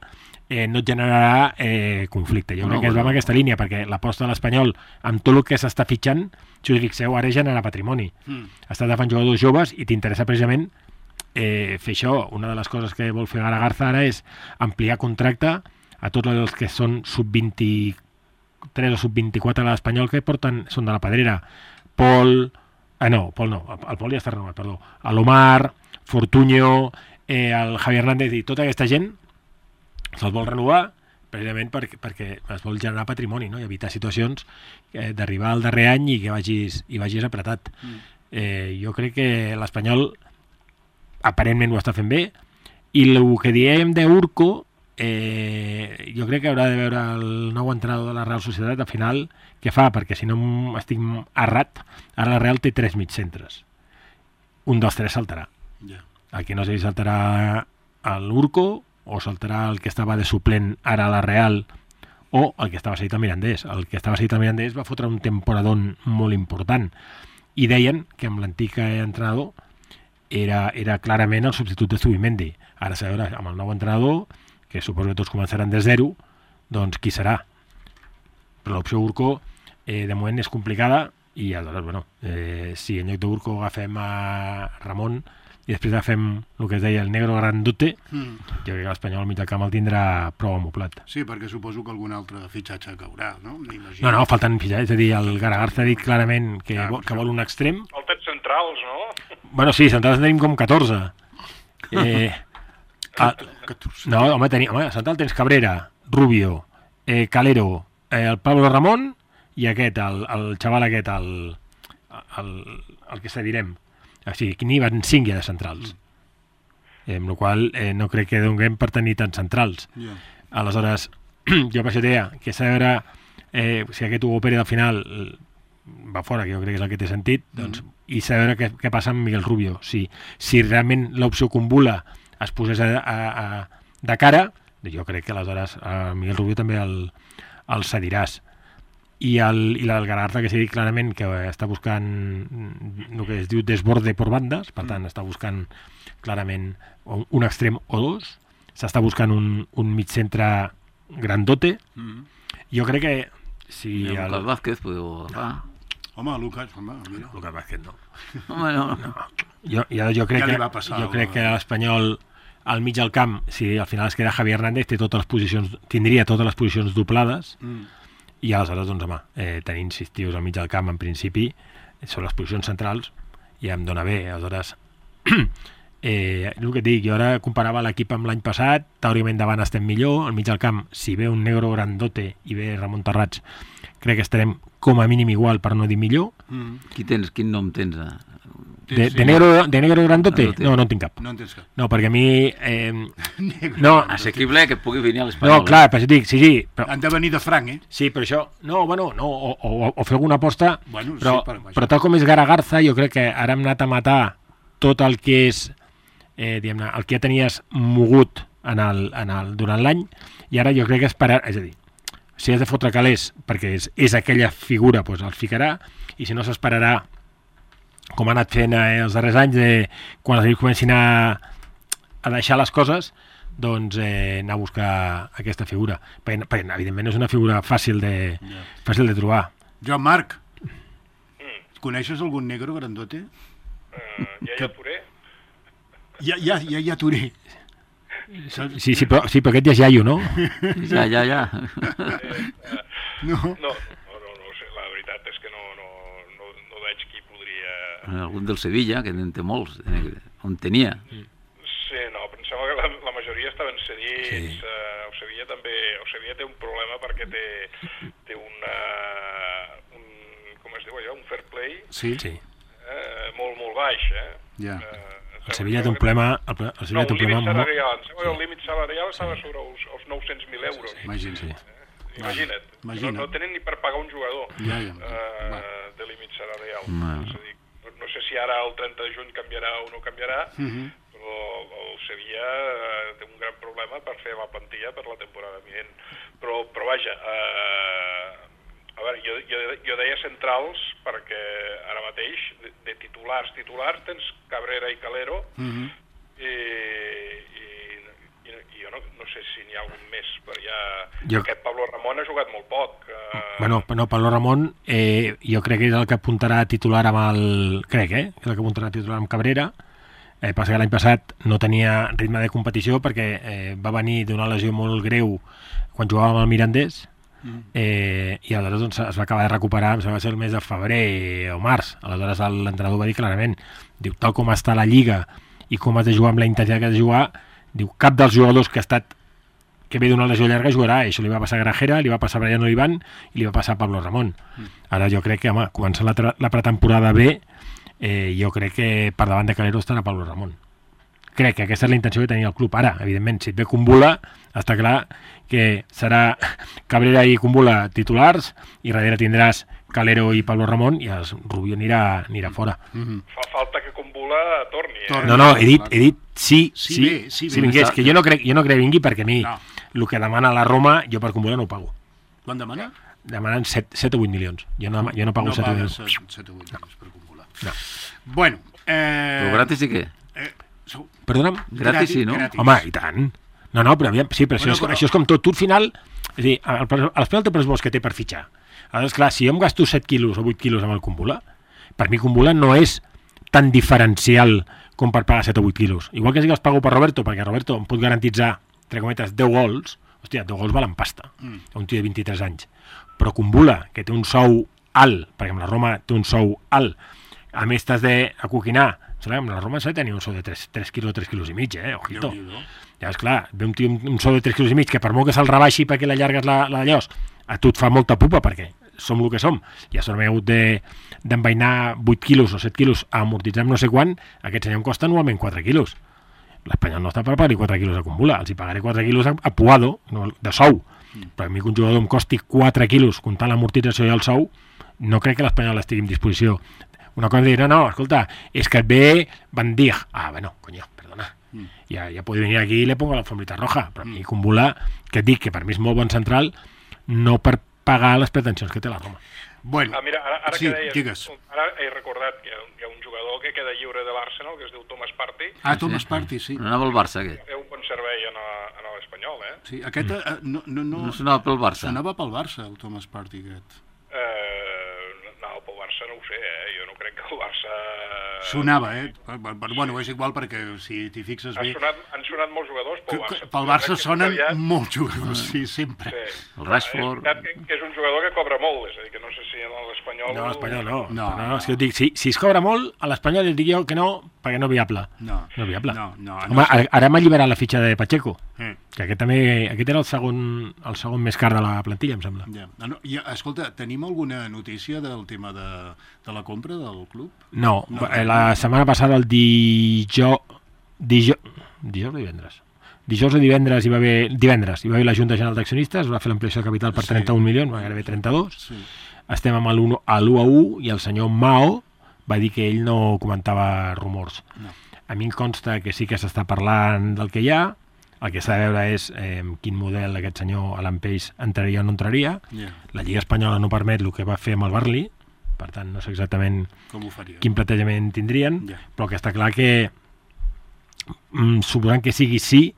no et generarà conflicte. Jo crec que es va en aquesta línia, perquè l'aposta de l'Espanyol, amb tot el que s'està fitxant, si us fixeu, ara genera patrimoni. Estàs agafant jugadors joves i t'interessa precisament fer això. Una de les coses que vol fer Garza ara és ampliar contracte a tots els que són sub-23 o sub-24 a l'Espanyol, que són de la pedrera. Pol no, el Pol ja està renovat, perdó. L'Omar, Fortunyo, el Javi Hernández i tota aquesta gent se'ls vol renovar precisament perquè es vol generar patrimoni, no? I evitar situacions d'arribar al darrer any i que vagis apretat. Jo crec que l'Espanyol aparentment ho està fent bé, i el que diem d'Urco jo crec que haurà de veure el nou entrenador de la Real Societat al final què fa, perquè si no estic errat, ara la Real té 3 mitjcentres, un dels 3 saltarà. El que no sé si saltarà l'Urco o saltarà el que estava de suplent ara a la Real, o el que estava cedit al Mirandés. El que estava cedit al Mirandés va fotre un temporadón molt important, i deien que amb l'antic entrenador era clarament el substitut de Zubimendi. Ara s'ha de veure amb el nou entrenador, que suposo que tots començaran de zero, doncs qui serà? Però l'opció Urco de moment és complicada, i aleshores, si en lloc d'Urco agafem a Ramon i després agafem el que es deia el negro grandote, jo crec que l'Espanyol al mig del camp el tindrà prou amoblat. Sí, perquè suposo que algun altre fitxatge caurà, no? No, falten fitxatges, és a dir, el Garza ha dit clarament que vol un extrem. Falten centrals, no? Bueno, sí, centrals en tenim com 14. No, home, central tens Cabrera, Rubio, Calero, el Pablo Ramón i aquest, el xaval aquest, el que se direm. O sigui, que n'hi van 5 ja de centrals. Amb la qual no crec que donem per tenir tants centrals. Aleshores, jo per això deia que s'ha de veure si aquest Hugo Pérez al final va fora, que jo crec que és el que té sentit, doncs, i s'ha de veure què passa amb Miguel Rubio. Si realment l'opció Kumbula es posés de cara, jo crec que aleshores a Miguel Rubio també el cediràs. I el Galarza, que s'ha dit clarament que està buscant el que es diu desborde per bandes, per tant està buscant clarament un extrem o dos, s'està buscant un mig centre grandote. Jo crec que si Lucas Vázquez podeu agafar. Home, Lucas, mira. Lucas Vázquez no. Home, no. Jo crec que l'Espanyol al mig del camp, si al final es queda Javi Hernández, tindria totes les posicions doblades, i aleshores, doncs, home, tenint 6 tios al mig del camp, en principi, són les posicions centrals, i em dona bé. Aleshores, el que et dic, jo ara comparava l'equip amb l'any passat, teòricament davant estem millor, al mig del camp, si ve un negro grandote i ve Ramon Terrats, crec que estarem com a mínim igual, per no dir millor. Quin nom tens? De negro grandote? No en tinc cap. No en tens cap. No, perquè a mi... Assequible que pugui venir a l'Espanyol. No, clar, però dic, sí. Però... Han de venir de franc, Sí, però això... No, o fer alguna aposta, bueno, però tal com és Gara Garza, jo crec que ara hem anat a matar tot el que és, diguem-ne, el que ja tenies mogut durant l'any, i ara jo crec que esperar... És a dir, si has de fotre calés perquè és aquella figura, doncs el ficarà, i si no s'esperarà, com ha anat fent els darrers anys, quan els equips comencin a deixar les coses, doncs anar a buscar aquesta figura. Perquè evidentment no és una figura fàcil de trobar. Joan Marc, coneixes algun negro grandote? Ja Touré? Ja Touré. Sí, però aquest ja és iaio, no? Ja. No, la veritat és que no veig qui podria... Algun del Sevilla, que en té molts, on tenia. Sí, no, pensava que la majoria estaven cedits. Sí. O Sevilla té un problema perquè té com es diu allò, un fair play molt baix, Ja. El Sevilla té un problema... El límit salarial estava sobre els 900.000 euros. Imagina't. No tenen ni per pagar un jugador de límit salarial. És a dir, no sé si ara el 30 de juny canviarà o no canviarà, però el Sevilla té un gran problema per fer la plantilla per la temporada vinent. Però vaja, a veure, jo deia centrals perquè ara mateix de titulars tens Cabrera i Calero, i jo no sé si n'hi ha algun més, però aquest Pablo Ramón ha jugat molt poc. Bueno, Pablo Ramón jo crec que és el que apuntarà a titular amb amb Cabrera. Passa que l'any passat no tenia ritme de competició perquè va venir d'una lesió molt greu quan jugava amb el Mirandés, i aleshores doncs, es va acabar de recuperar, em sembla que va ser el mes de febrer o març. Aleshores l'entrenador va dir clarament, diu, tal com està la Lliga i com has de jugar amb la intensitat que has de jugar, diu, cap dels jugadors que ve d'una lesió llarga jugarà. Això li va passar a Grajera, li va passar a Brian Olivan i li va passar a Pablo Ramón. Ara jo crec que, home, començant la pretemporada bé, jo crec que per davant de Calero estarà Pablo Ramón. Crec que aquesta és la intenció que tenia el club. Ara, evidentment, si et ve Kumbula, està clar que serà Cabrera i Kumbula titulars, i darrere tindràs Calero i Pablo Ramón, i el Rubio anirà fora. Fa falta que Kumbula torni. No, he dit sí vingués, que jo no crec que vingui, perquè a mi el que demana la Roma, jo per Kumbula no ho pago. Quan demana? Demanen 7 o 8 milions. Jo no pago 7 o 8 milions. 7 o 8 milions per Kumbula. No. Bueno. Però gratis i què? Perdona'm? Gratis sí, no? Home, i tant. No, però aviam, sí, però això és com tot. Tu al final, és a dir, l'Espanyol té pressupost que té per fitxar. Aleshores, clar, si jo em gasto 7 quilos o 8 quilos amb el Kumbula, per mi Kumbula no és tan diferencial com per pagar 7 o 8 quilos. Igual que si els pago per Roberto, perquè Roberto em pot garantitzar, entre cometes, 10 gols, hòstia, 10 gols valen pasta, un tio de 23 anys. Però Kumbula, que té un sou alt, perquè amb la Roma té un sou alt, a més t'has d'acoquinar Amb la Roma s'ha de tenir un sou de 3 quilos, 3 quilos i mig, ojito. Ja, esclar, ve un tio un sou de 3 quilos i mig que per molt que se'l rebaixi perquè l'allargues la llos, a tu et fa molta pupa perquè som el que som. Ja s'ha hagut d'envainar 8 quilos o 7 quilos a amortitzar no sé quan, aquest senyor em costa anualment 4 quilos. L'Espanyol no està per pagar 4 quilos a Cumbula, els hi pagaré 4 quilos a Puado, de sou. Però a mi que un jugador em costi 4 quilos comptant l'amortització i el sou, no crec que l'Espanyol estigui en disposició. Una cosa de dir, no, escolta, es que et ve Van Dijk. Ah, bueno, coño, perdona. Ja puede venir aquí i le pongo la alfombrita roja. Però a mi Cumbula, que et dic que per mi és molt bon central, no per pagar les pretensions que té la Roma. Bueno, mira, ara sí, que deies, digues. Ara he recordat que hi ha un jugador que queda lliure de l'Arsenal, que es diu Thomas Partey. Thomas Partey, sí. No anava al Barça, aquest. Té un bon servei en l'Espanyol, Sí, aquest no sonava pel Barça. Sonava pel Barça, el Thomas Partey, aquest. No, pel Barça no ho sé, jo no crec que el Barça... Sonava, Bueno, és igual perquè si t'hi fixes bé... Han sonat molts jugadors pel Barça. Pel Barça sonen molts jugadors, sí, sempre. El Rashford... És veritat que és un jugador que cobra molt, és a dir, que no sé si en l'Espanyol... No, l'Espanyol no. No, és que et dic, si es cobra molt, a l'Espanyol et dic jo que no, perquè no viable. No viable. Home, ara m'ha alliberat la fitxa de Pacheco, que aquest era el segon més car de la plantilla, em sembla. Escolta, tenim alguna notícia del tema de la compra del club? No, la setmana passada, el dijous o divendres? Dijous o divendres hi va haver la Junta General d'Accionistes, va fer l'ampliació de capital per 31 milions, va gairebé 32. Sí. Estem amb l'1-1 i el senyor Mao va dir que ell no comentava rumors. No. A mi em consta que sí que s'està parlant del que hi ha, el que s'ha de veure és quin model aquest senyor Alan Pace entraria o no entraria. La Lliga Espanyola no permet el que va fer amb el Burnley, per tant no sé exactament quin plantejament tindrien, però que està clar que suposant que sigui sí,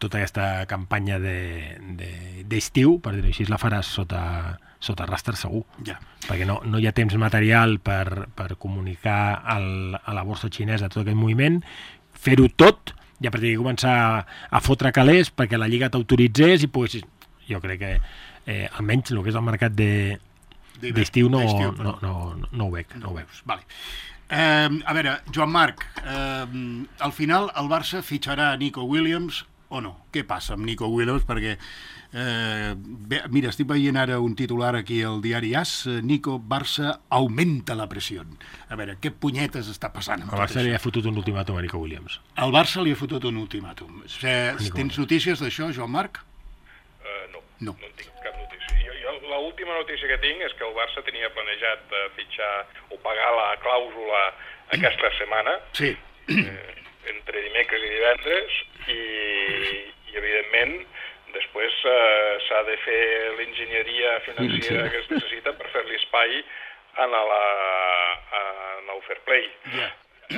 tota aquesta campanya d'estiu, per dir-ho així, la faràs sota rastre segur, perquè no hi ha temps material per comunicar a la borsa xinesa tot aquest moviment, fer-ho tot, ja per dir, començar a fotre calés perquè la Lliga t'autoritzés i poguessis... Jo crec que almenys el que és el mercat d'estiu no ho veig. Vale. A veure, Joan Marc, al final el Barça fitxarà Nico Williams o no? Què passa amb Nico Williams? Perquè, mira, estic veient ara un titular aquí al diari AS, Nico, Barça augmenta la pressió. A veure, què punyetes està passant amb tot això? El Barça li ha fotut un ultimàtum a Nico Williams. El Barça li ha fotut un ultimàtum. Tens notícies d'això, Joan Marc? No en tinc cap notícia. L'última notícia que tinc és que el Barça tenia planejat fitxar o pagar la clàusula aquesta setmana, entre dimecres i divendres, i evidentment després s'ha de fer l'enginyeria financera que es necessita per fer-li espai en el fair play. I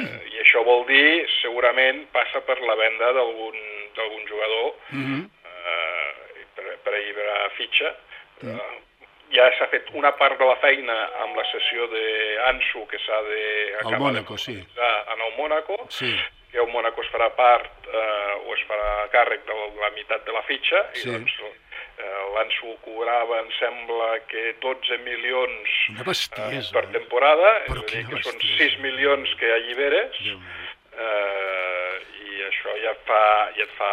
això vol dir, segurament, passa per la venda d'algun jugador per alliberar fitxa. Ja s'ha fet una part de la feina amb la sessió d'Ansu que s'ha d'acabar de finalitzar en el Mónaco, que el Mónaco es farà part o es farà càrrec de la meitat de la fitxa, i doncs l'Ansu cobrava, em sembla que 12 milions per temporada, és a dir, que són 6 milions que alliberes, i això ja et fa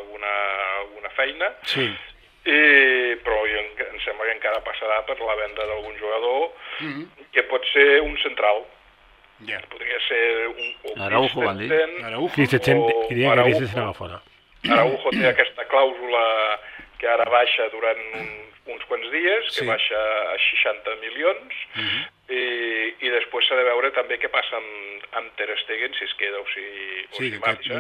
alguna feina, però em sembla que encara passarà per la venda d'algun jugador, que pot ser un central. Podria ser un Araujo, van dir. Araujo té aquesta clàusula que ara baixa durant uns quants dies, que baixa a 60 milions, i després s'ha de veure també què passa amb Ter Stegen, si es queda o si marxa,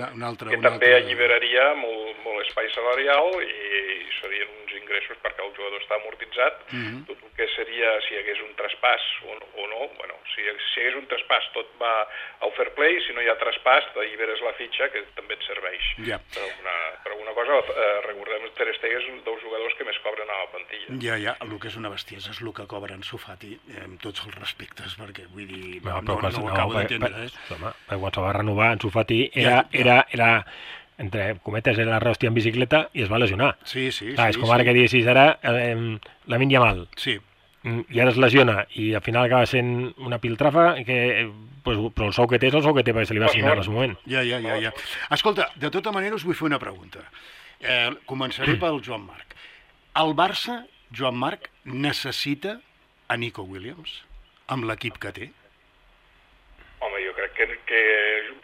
que també alliberaria molt espai salarial i serien uns ingressos perquè el jugador està amortitzat. Tot el que seria, si hi hagués un traspàs o no, si hi hagués un traspàs tot va al fair play, si no hi ha traspàs t'alliberes la fitxa, que també et serveix per alguna cosa. Recordem que Ter Stegen és un dels jugadors que més cobren a la plantilla. El que és una bestiesa és el que cobra en Sofati, amb tots els respectes, perquè vull dir, no ho acabo d'entendre. Quan se va renovar, en Sofati era entre cometes, era la rehòstia en bicicleta i es va lesionar. És com ara que diguessis ara Lamine Yamal. i ara es lesiona i al final acaba sent una piltrafa però el sou que té és el sou que té perquè se li va assignar en el moment. Ja. Escolta, de tota manera us vull fer una pregunta. Començaré pel Joan Marc. El Barça, Joan Marc, necessita a Nico Williams amb l'equip que té? Home, jo crec que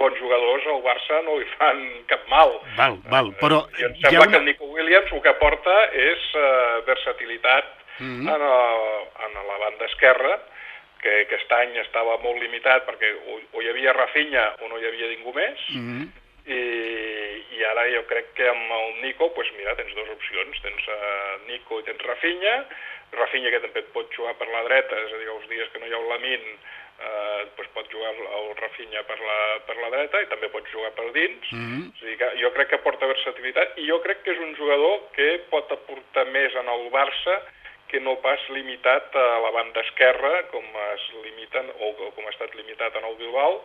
bons jugadors al Barça no li fan cap mal. Val, però... I em sembla que el Nico Williams el que porta és versatilitat en la banda esquerra, que aquest any estava molt limitat perquè o hi havia Rafinha o no hi havia ningú més, i ara jo crec que amb el Nico, doncs mira, tens dues opcions, tens Nico i tens Rafinha que també et pot jugar per la dreta, és a dir, els dies que no hi ha un Lamin, doncs pot jugar el Rafinha per la dreta i també pot jugar per dins. O sigui que jo crec que porta versatilitat i jo crec que és un jugador que pot aportar més en el Barça que no pas limitat a la banda esquerra com es limiten o com ha estat limitat en el Bilbao.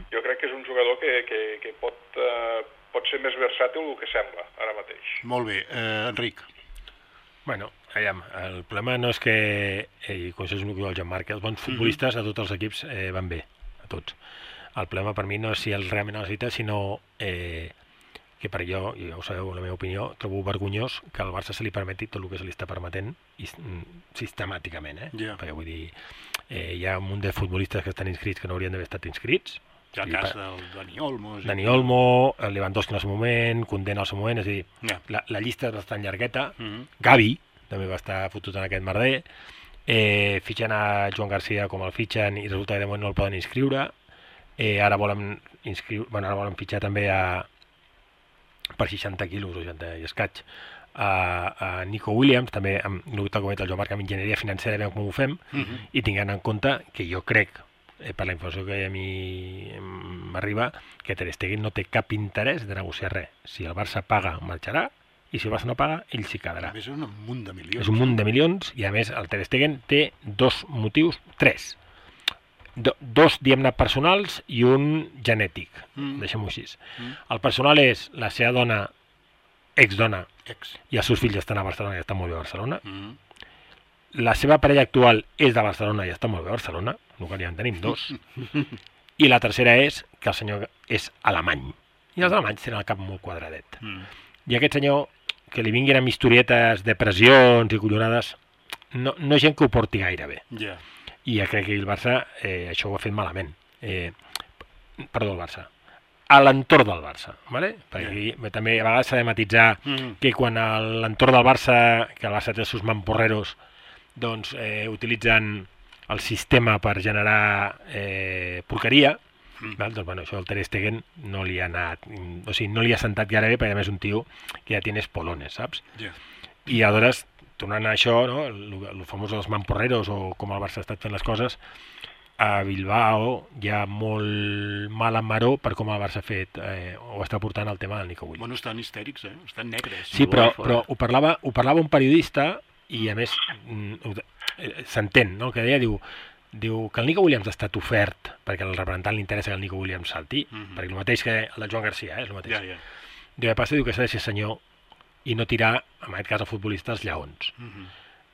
Jo crec que és un jugador que pot ser més versàtil del que sembla ara mateix. Molt bé. Enric. Bueno, el problema no és que, i com això és el que diu el Joan Marc, els bons futbolistes a tots els equips van bé, a tots. El problema per mi no és si el realment necessita, sinó que per jo, ja ho sabeu, la meva opinió, trobo vergonyós que al Barça se li permeti tot el que se li està permetent sistemàticament, perquè vull dir, hi ha un munt de futbolistes que estan inscrits que no haurien d'haver estat inscrits. El cas del Dani Olmo. Dani Olmo, Lewandowski en el seu moment, Koundé en el seu moment, és a dir, la llista és bastant llargueta. Gavi també va estar fotut en aquest merder. Fitxen a Joan Garcia com el fitxen i resulta que de moment no el poden inscriure. Ara volen fitxar també per 60 quilos o 60 i escaig a Nico Williams, també amb el que comenta el Joan Marc, amb enginyeria financera, veiem com ho fem, i tinguent en compte que jo crec, per la informació que a mi m'arriba, que Ter Stegen no té cap interès de negociar res. Si el Barça paga, marxarà, i si el Barça no paga, ell s'hi quedarà. És un munt de milions. És un munt de milions, i a més el Ter Stegen té dos motius, tres. Dos, diguem-ne, personals i un genètic, deixem-ho així. El personal és la seva dona, exdona, i els seus fills estan a Barcelona i estan molt bé a Barcelona. La seva parella actual és de Barcelona i està molt bé a Barcelona, el que ja en tenim dos. I la tercera és que el senyor és alemany. I els alemanys tenen el cap molt quadradet. I aquest senyor, que li vinguin amb historietes de pressions i collonades, no és gent que ho porti gaire bé. I ja crec que el Barça això ho ha fet malament. Perdó, el Barça. A l'entorn del Barça, ¿vale? Perquè també a vegades s'ha de matitzar que quan a l'entorn del Barça, que el Barça té els seus mamporreros, doncs utilitzen el sistema per generar porqueria, doncs bueno, això el Ter Stegen no li ha anat, o sigui, no li ha sentat gaire bé, perquè a més un tio que ja tienes polones, saps? I aleshores, tornant a això, no? El famós dels mamporreros o com el Barça ha estat fent les coses, a Bilbao hi ha molt mal en maró per com el Barça ha fet o està portant el tema del Nico Williams. Bueno, estan histèrics, estan negres. Sí, però ho parlava un periodista i a més s'entén, no? El que deia, diu que el Nico Williams ha estat ofert perquè al representant li interessa que el Nico Williams salti, perquè el mateix que el de Joan Garcia, és el mateix. Diu que s'ha de ser senyor i no tirar, en aquest cas el futbolista, els lleons.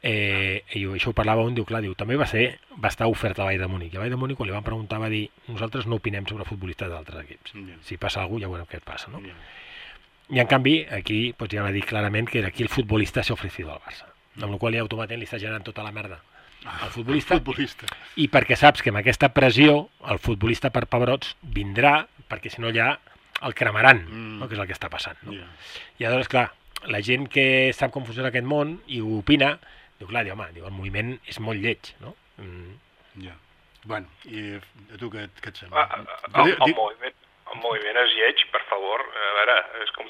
I això ho parlava un, diu, també va estar ofert a Bayern de Múnich. I a Bayern de Múnich, quan li van preguntar, va dir, nosaltres no opinem sobre futbolistes d'altres equips. Si passa alguna cosa, ja veurem què et passa, no? I en canvi, aquí ja va dir clarament que aquí el futbolista s'ha ofrecido al Barça, amb la qual cosa automàticament li està generant tota la merda al futbolista. I perquè saps que amb aquesta pressió el futbolista per pebrots vindrà, perquè si no ja el cremaran, no? Que és el que està passant, no? I aleshores, clar, la gent que sap com funciona aquest món i ho opina, diu, el moviment és molt lleig, no? Bueno, i a tu què et sembla? El moviment és lleig, per favor. A veure, és com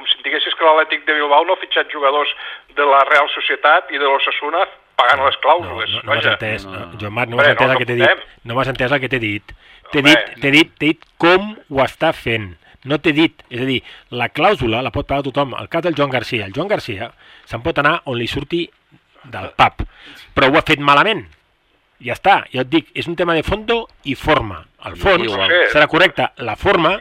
si em diguessis que l'Atlètic de Bilbao no ha fitxat jugadors de la Real Societat i de l'Osasuna pagant les clàusules. No m'has entès, Joan Marc, no m'has entès el que t'he dit. No m'has entès el que t'he dit. T'he dit com ho està fent. No t'he dit, és a dir, la clàusula la pot pagar tothom. El cas del Joan Garcia. El Joan Garcia se'n pot anar on li surti del pap, però ho ha fet malament. Ja està, jo et dic, és un tema de fondo i forma. El fons serà correcte. La forma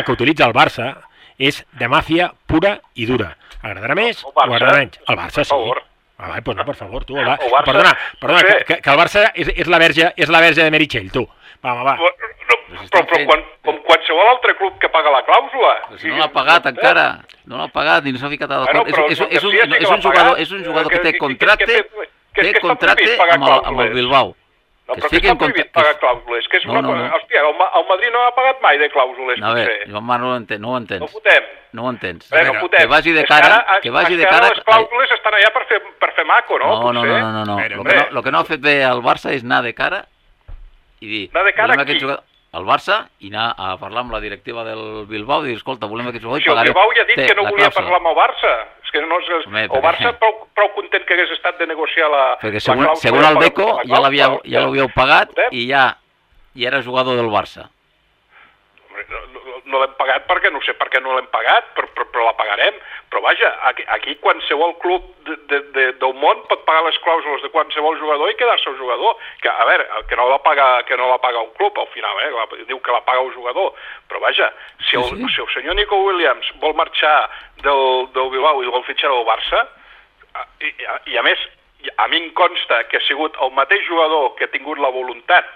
que utilitza el Barça és de màfia pura i dura. Agradarà més o agradarà menys? El Barça sí. Pues no, per favor, tu. Barça, Perdona, que el Barça és la verge de Meritxell, tu. Va. Però com qualsevol altre club que paga la clàusula. Però si no l'ha pagat encara, no l'ha pagat i no s'ha ficat a d'acord. És un jugador que té contracte amb el Bilbao. No, però que està prohibit pagar clàusules. Que és una cosa... Hòstia, el Madrid no ha pagat mai de clàusules, potser. A veure, Joan Marc, no ho entens. No ho entens. Que vagi de cara... Les clàusules estan allà per fer maco, no? No. El que no ha fet bé el Barça és anar de cara i dir... Anar de cara a qui? Al Barça i anar a parlar amb la directiva del Bilbao i dir, escolta, volem aquest jugador i pagaré... Si el Bilbao ja ha dit que no volia parlar amb el Barça. És que no, el Barça prou content que hagués estat de negociar la clàusula. Perquè segons el Deco ja l'havíeu pagat i ja era jugador del Barça. No l'hem pagat perquè no sé per què no l'hem pagat, però la pagarem. Però vaja, aquí qualsevol club del món pot pagar les clàusules de qualsevol jugador i quedar-se el jugador. Que, a veure, que no la paga un club al final, diu que la paga un jugador. Però vaja, si el senyor Nico Williams vol marxar del Bilbao i vol fitxar del Barça, i a més, a mi em consta que ha sigut el mateix jugador que ha tingut la voluntat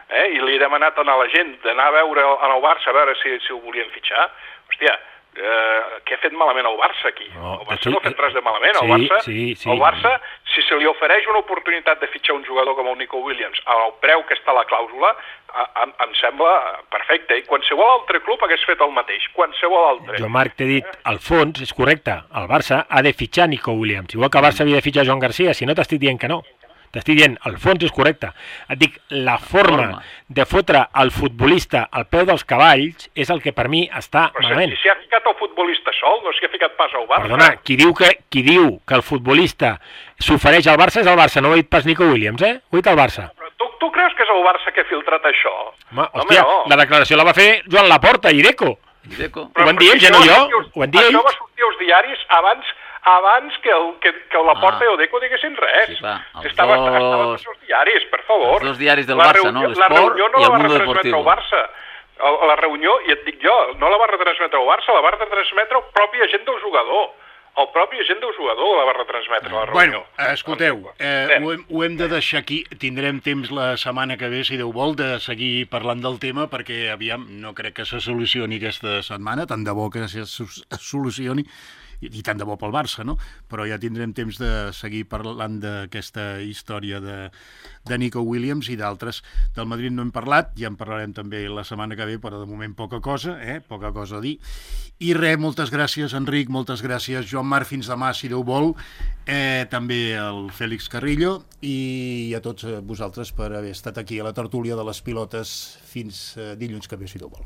i li he demanat a la gent d'anar a veure al Barça a veure si ho volien fitxar. Hòstia, què ha fet malament el Barça aquí? El Barça no ha fet res de malament. El Barça, si se li ofereix una oportunitat de fitxar un jugador com el Nico Williams al preu que està la clàusula, em sembla perfecte. I qualsevol altre club hagués fet el mateix. Qualsevol altre. Jo, Marc, t'he dit, al fons, és correcte, el Barça ha de fitxar Nico Williams. Igual que el Barça havia de fitxar Joan Garcia, si no t'estic dient que no. T'estic dient, el fons és correcte. Et dic, la forma de fotre el futbolista al peu dels cavalls és el que per mi està malament. Si s'hi ha ficat el futbolista sol, no s'hi ha ficat pas al Barça. Perdona, qui diu que el futbolista s'ofereix al Barça és el Barça, no ho ha dit pas Nico Williams, ho ha dit el Barça. Tu creus que és el Barça que ha filtrat això? Hòstia, la declaració la va fer Joan Laporta i Deco. Ho van dir ells, no jo? Ho van dir ells. Això va sortir als diaris abans que Laporta i el Deco diguessin res. Estaven tots els diaris, per favor. Els dos diaris del Barça, no? L'Esport i el Mundo Deportivo. La reunió, i et dic jo, no la va retransmetre el Barça, la va retransmetre el propi agent del jugador. El propi agent del jugador la va retransmetre a la reunió. Bueno, escolteu, ho hem de deixar aquí. Tindrem temps la setmana que ve, si Déu vol, de seguir parlant del tema, perquè, aviam, no crec que se solucioni aquesta setmana, tant de bo que se solucioni, i tant de bo pel Barça, no? Però ja tindrem temps de seguir parlant d'aquesta història de Nico Williams i d'altres. Del Madrid no hem parlat, ja en parlarem també la setmana que ve, però de moment poca cosa a dir. I res, moltes gràcies, Enric, moltes gràcies, Joan Marc, fins demà, si Déu vol, també el Fèlix Carrillo, i a tots vosaltres per haver estat aquí a la tertúlia de les pilotes fins dilluns que ve, si Déu vol.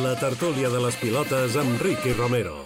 La tertúlia de les pilotes amb Ricky Romero.